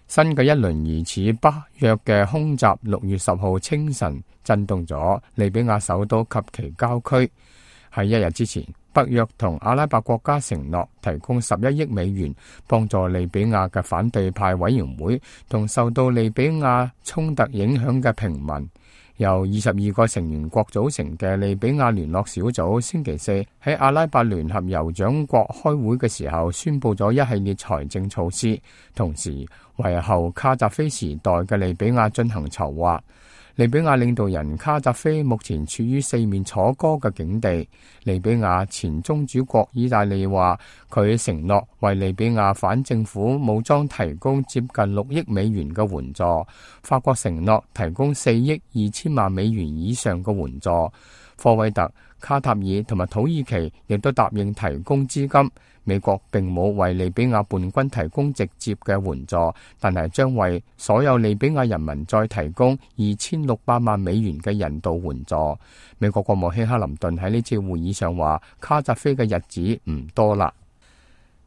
新嘅一輪疑似北約嘅空襲6月10號清晨震動咗利比亞首都及其郊區。喺一日之前，北約同阿拉伯國家承諾提供11億美元幫助利比亞嘅反對派委員會同受到利比亞衝突影響嘅平民。由22個成員國組成嘅利比亞聯絡小組星期四喺阿拉伯聯合酋長國開會嘅時候宣布咗一系列財政措施，同時為後卡扎菲時代嘅利比亞進行籌劃。利比亞領導人卡扎菲目前處於四面楚歌嘅境地。利比亞前宗主國意大利話，佢承諾為利比亞反政府武裝提供接近6億美元嘅援助。法國承諾提供4億2千萬美元以上嘅援助。科威特、卡塔爾同埋土耳其亦都答應提供資金。美國並冇為利比亞叛軍提供直接嘅援助，但係將為所有利比亞人民再提供2600萬美元嘅人道援助。美國國務卿克林頓喺呢次會議上話，卡扎菲嘅日子唔多啦。